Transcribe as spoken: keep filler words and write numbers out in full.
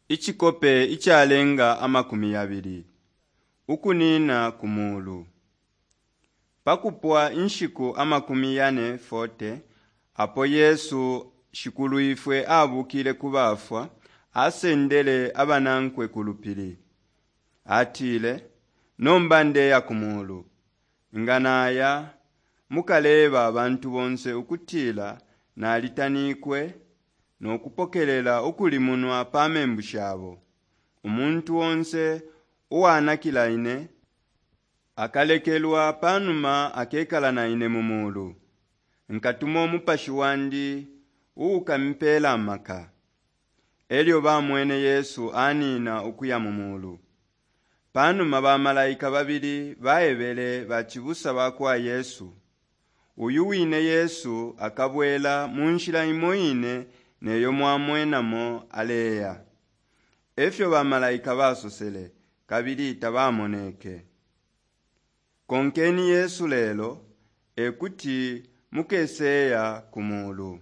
ichikope ichalenga amakumi abiri ukunina kumulu pakupwa inshiku amakumi yane forte apo Yesu shikulu ifwe abukile kubafwa asendele abanankwe kulupili atile nombande ya kumulu nganaya mukaleba abantu bonse ukutila na alitanikwe nokupokelela ukulimunwa pamembu shabo umuntu wonse uwanakila ine akalekelwa panuma akekala na ine mumulu nkatumo mupashi wandi uukampela maka elyo bamwene Yesu anina ukuya mumulu panuma bamalaika babili baebele bachibusa bakwa Yesu uyu wine Yesu akabwela munshila imoine neyo mwamwenamo aleya efyo bamalaika basosele kabili tabamoneke konkeni Yesu lelo ekuti mukeseya kumulu